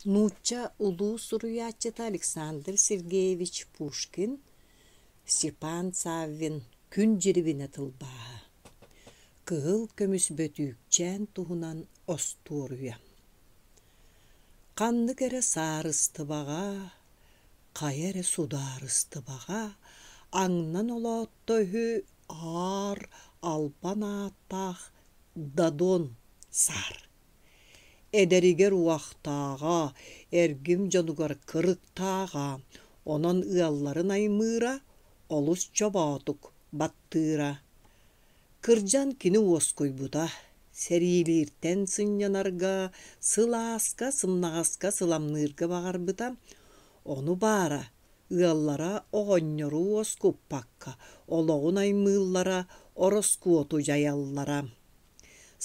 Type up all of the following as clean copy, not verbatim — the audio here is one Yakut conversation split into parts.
Нуучча улуу суруйааччыта Александр Сергеевич Пушкин Степан Саввин «Күн дьирибинэ» тылбааһа. Кыһыл көмүс бөтүүкчээн туһунан остуоруйа. Ханнык эрэ саарыстыбаҕа, хайа эрэ судаарыстыбаҕа аҥнан олоотто үһү аар албан ааттаах Дадон саар. Эдэригэр уохтааҕа, эргим дьонугар кырыктааҕа, онон ыалларын аймыыра, олус чобоотук баттыыра. Кырдьан кини уоскуйбута, сэриилииртэн сынньанарга, сылааска, сымнаҕаска сыламныырга баҕарбыта, ону баара, ыаллара оҕонньору уоскуппакка олоҕун аймыыллара, ороскуоту дьайаллара.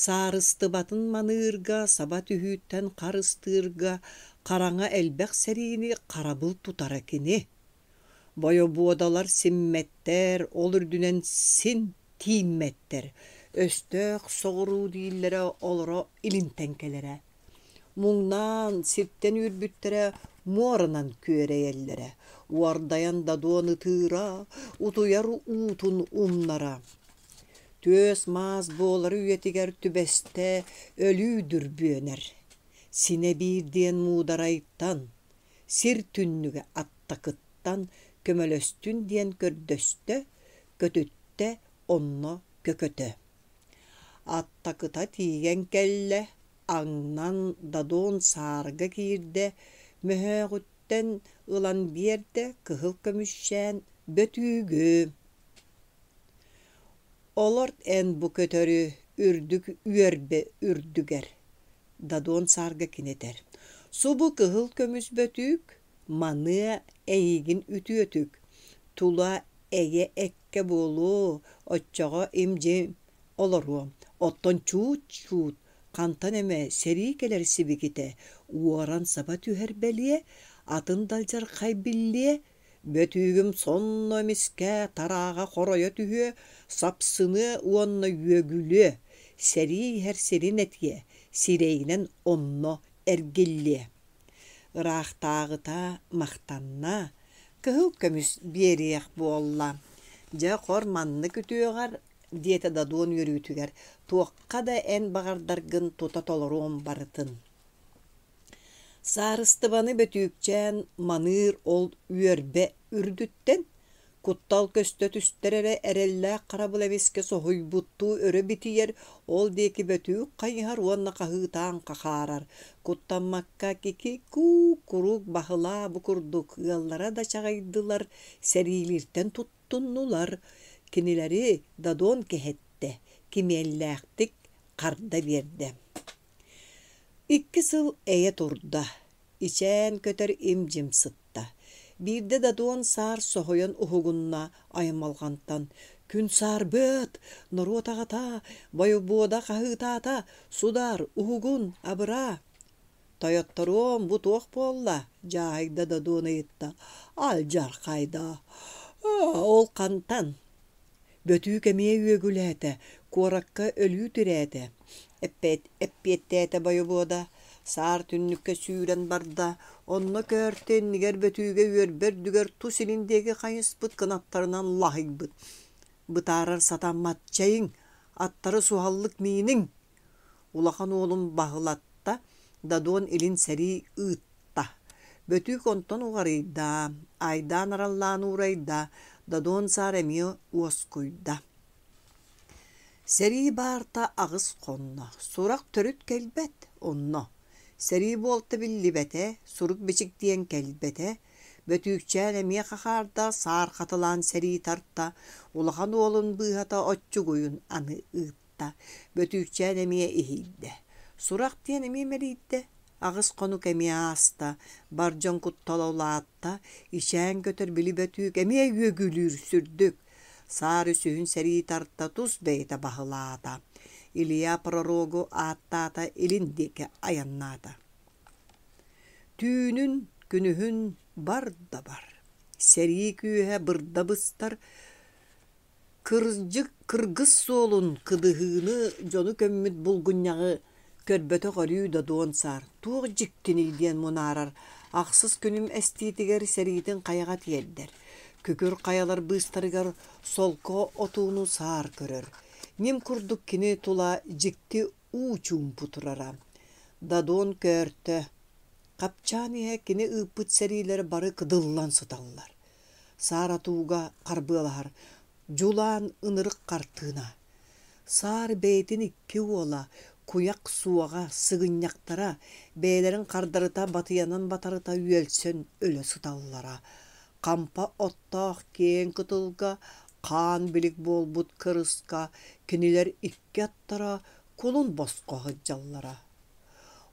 Саарыстыбатын маныырга, саба түһүүттэн харыстыырга хараҥа элбэх сэриини харабыл тутара кини. Бойобуодалар симмэттэр, ол үрдүнэн син тииммэттэр, өстөөх соҕуруу дииллэрэ олоро илинтэн кэлэрэ. Муҥнаан, сиртэн үүрбүттэрэ муоранан күөрэйэллэрэ, уордайан дадуон ытыыра, утуйар уутун умнара. Түөс-маас буолар үйэтигэр түбэстэ өлүү дүрбүөнэр. Синэ биир диэн муударайтан, сир түннүгэ аттакыттан көмөлөстүн диэн көрдөстө, көтүттэ онно көкөтө. Аттакыта тиийэн кэллэ, аҥнан Дадон саарга киирдэ, мөһөөҕүттэн ылан биэрдэ кыһыл көмүсчээн бөтүүгү. Олорт эн бу көтөрү үрдүк үөрбэ үрдүгэр, Дадон саарга кини этэр: «Субу кыһыл көмүс бөтүүк, маныа эйигин үтүөтүк, тула эйэ эккэ буолуо, оччоҕо им-дьим олоруо, оттон чуут-чуут хантан эмэ сэрии кэлэр сибикитэ уоран саба түһэр бэлиэ, атын далдьархай биллиэ, Бөтүүгүм сонно эмискэ тарааҕа хоройо түһүө, сапсыныа уонна үөгүлүө, сэрии иһэр сирин этиэ, сирэйинэн онно эргиллиэ. Ыраахтааҕыта махтанна, кыһыл көмүс биэриэх буолла. Дьэ, хор маннык үтүөҕэр, диэтэ Дадуон үөрүүтүгэр, туохха да эн баҕардаргын тута толоруом барытын. Саарыстыбаны бөтүүкчээн маныыр ол үөрбэ үрдүттэн, куттал көстө түстэр эрэ эрэллээх харабыл эмискэ соһуйбуттуу өрө битийэр, ол диэки бөтүүк хайыһар уонна хаһыытаан хахаарар, куттаммакка кики-куу куруук баһылаа бу курдук ыаллара да чаҕыйдылар, сэриилииртэн туттуннулар, кинилэри Дадон кэһэттэ, кимиэллээхтик харда биэрдэ. Икки сыл эйэ турда, ичээн көтөр им-дьим сытта. Биирдэ Дадуон саар соһуйан уһугунна аймалҕантан: «Күн саарбыат! Норуот аҕата! Бойобуода хаһыытаата! Судаар, уһугун, абыраа!» «Тойотторуом, бу туох буолла?» дьааһыйда Дадуон ыйытта. «Алдьархайда! Ол хантан?» Бөтүүк эмиэ үөгүлээтэ, куоракка өлүү тирээтэ, эппиэттээтэ бойобуода, саар түннүккэ сүүрэн барда, онно көөртө иннигэр бөтүүгэ үөрбэ үрдүгэр тус илин диэки хайыспыт кынаттарынан лаһыйбыт. Бытаарар сатаммат, чэйиҥ, аттары суһаллык мииниҥ! Улахан уолун баһылатта, Дадуон илин сэрии ыытта. Бөтүүк онтон уҕарыйда, айдаан араллаан уурайда, Дадуон саар эмиэ уоскуйда. Сэрии баарта аҕыс хонно, сурах төрүт кэлбэт онно. Сэрии буолта биллибэтэ, сурук-бичик диэн кэлбэтэ. Бөтүүкчээн эмиэ хахаарда, саар хатылаан сэрии тарта, улахан уолун быыһата оччугуйун аны ыытта. Бөтүүкчээн эмиэ иһийдэ, сурах диэн эмиэ мэлийдэ, аҕыс хонук эмиэ ааста, бар дьон куттала улаатта, ичээн көтөр били бөтүүк эмиэ үөгүлүүр сүрдүк, саар үсүһүн сэрии тарта тус бэйэтэ баһылаата, Илья пророгу ааттаата илин диэки айаннаата. Түүнүн, күнүһүн бар да бар, сэрии күүһэ бырда быстар, Кырдьык, кыргыс суолун, кыдыһыыны, дьону көммүт булгунньаҕы Көрбөтөх өрүү Додуон саар, туох дьиктиний диэн мунаарар, ахсыс күнүм эстиитигэр сэриитин хайаҕа тиэрдэр. Күкүр хайалар быыстарыгар солко отууну саар көрөр. Ньим курдук кини тула дьикти уу чуумпу турара. Дадон көөртө. Хапчаан иһэ кини ыыппыт сэриилэрэ бары кыдыллан сыталлар. Саар отууга харбыалаһар дьулаан ынырык хартыына. Саар бэйэтин икки уола, куйах суоҕа, сыгынньахтара, бэйэлэрин хардарыта батыйанан батарыта үөлсэн өлө сыталлара. Хампа оттоох киэҥ кытылга хаан билик буолбут кырыска кинилэр икки аттара кулун босхо сылдьаллара.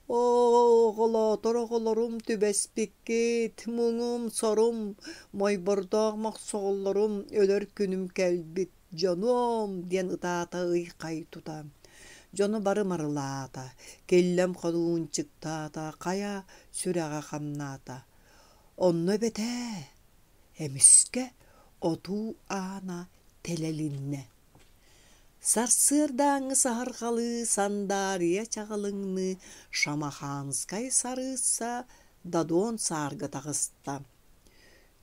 Оо, оҕолоотор оҕолорум түбэспиккит, муҥум, сорум, мойбордоох мохсоҕоллорум өлөр күнүм кэлбит, дьонуом диэн ытаата ый-хай тута. Дьону бары марылаата, киллэм ходуунчуктаата, хайа сүрэҕэ хамнаата. Онно эбэтээ, эмискэ отуу аана тэлэлиннэ. Сарсыардааҥҥы саһарҕалыы сандаарыйа чаҕылыҥныы Шамаханскай сарыысса Дадон саарга таҕыста.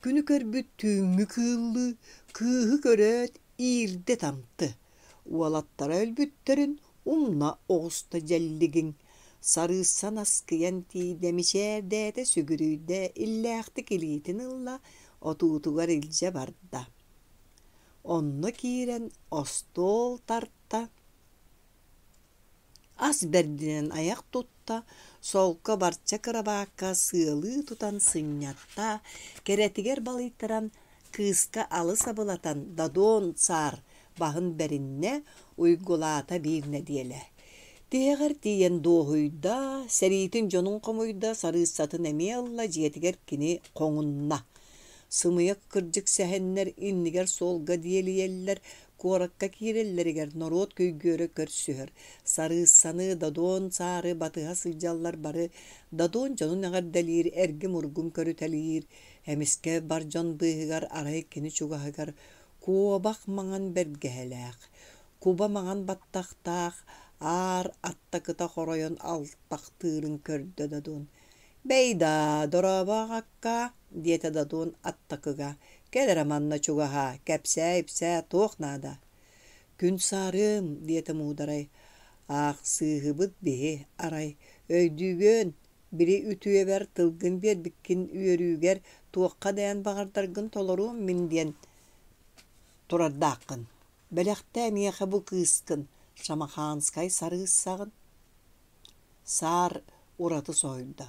Күнү көрбүт түүҥҥү кыыллыы кыыһы көрөөт иирдэ тамты, уолаттара өлбүттэрин умна оҕуста дьэллигиҥ. Сарыысса наскыйан тиийдэ, мичээрдээтэ, сүгүрүйдэ, иллээхтик илиитин ылла, отуутугар илдьэ барда. Онно киирэн остуол тарта, ас бэрдинэн айах тутта, солко барча кырабаакка сыалыы тутан сынньатта, кэрэтигэр балыйтаран кыыска алыс абылатан Дадон цаар баһын бэриннэ, уйгулаата биир нэдиэлэ. Тиһэҕэр тиийэн дуоһуйда, сэриитин дьонун хомуйда, сарыыссатын эмиэ ылла, дьиэтигэр кини хоҥунна. Сымыйа кырдьык сэһэннэр иннигэр суолга диэлийэллэр, куоракка киирэллэригэр норуот күйгүөрэ көрсүһэр. Сарыыссаны, Додуон саары батыһа сылдьаллар бары Додуон дьонун эҕэрдэлиир, эргим-ургум көрүтэлиир. Эмискэ бар дьон быыһыгар арай кини чугаһыгар куобах маҥан бэргэһэлээх, куба маҥан баттахтаах аар аттакыта хоройон алтахтыырын көрдө Додуон. «Бэй даа, дорообо аҕаккаа» диэтэ Дадун аттакыга, «кэл эрэ манна чугаһаа, кэпсээ-ипсээ туох наада?» «Күн саарыам» диэтэ Муударай, «аахсыыһыбыт биһи, арай, өйдүүгүөн, били үтүөбэр тылгын биэрбиккин үөрүүгэр туохха да эн баҕардаргын толоруом мин диэн турардааххын. Бэлэхтээ миэхэ бу кыыскын, Шамаханскай сарыыссаҕын» Саар ураты соһуйда: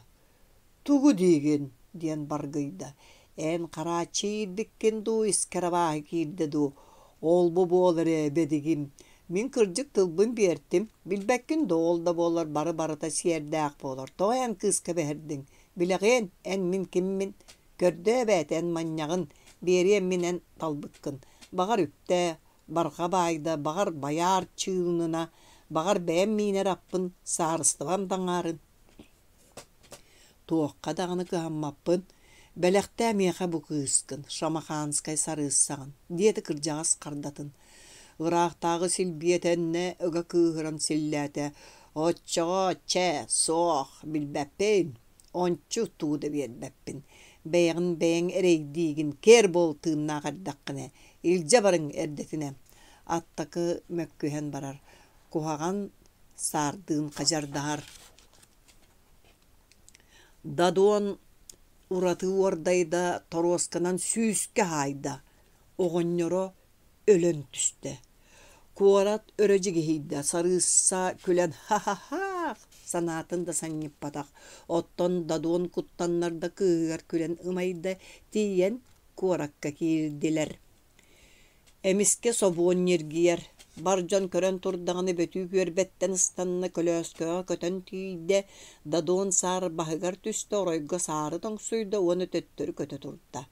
«Тугу диигин?» диэн баргыйда: «Эн харааччы иирбиккин дуу, искэр абааһы киирдэ дуу? Ол-бу буол эрэ, бэдигим, мин кырдьык тылбын биэртим, билбэккин да ол да буоллар бары барыта сиэрдээх буолар, тоҕо эн кыыска бэһирдиҥ? Билэҕиэн, эн мин киммин? Көрдөө эбээт эн манньаҕын, биэриэм мин эн талбыккын, баҕар үптээ, барҕа баайда, баҕар байаар чыынына, баҕар бэйэм миинэр аппын, саарыстыбам да аҥаарын. Туохха даҕаны кыһаммаппын, бэлэхтээ миэхэ бу кыыскын, Шамаханскай сарыыссаҕын, диэтэ кырдьаҕас хардатын. Ыраахтааҕы силбиэтэннэ ыга кыыһыран силлээтэ: «Оччоҕо, чэ, суох, билбэппин, ончу тугу да биэрбэппин, бэйэҕин бэйэҥ эрэйдиигин, киэр буол тыыннаах эрдэххинэ, илдьэ барыҥ эрдэтинэ» аттакы мөккүһэн барар, куһаҕан саардыын хадьардаһар. Дадуон ураты уордайда, торуосканан сүүскэ хаайда, оҕонньоро өлөн түстэ. Куорат өрө дьигиһийдэ, сарыысса күлэн ха-ха-хаах санаатын да санньыппатах, оттон Дадуон куттаннар да кыыһыгар күлэн ымайда, тиийэн куоракка киирдилэр. Эмискэ собуон ньиргийэр, бар дьон көрөн турдаҕына бөтүүк үөрбэттэн ыстанна, көлөөскөҕө көтөн тиийдэ, Дадуон саар баһыгар түстэ, оройго саары тоҥсуйда уонна төттөрү көтө турда.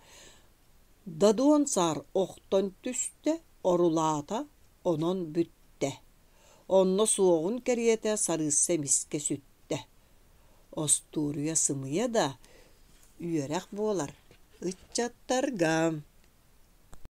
Дадуон саар охтон түстэ, орулаата, онон бүттэ. Онно суоҕун кэриэтэ сарыысса эмискэ сүттэ. Остуоруйа сымыйа да, үөрэх буолар ыччаттарга.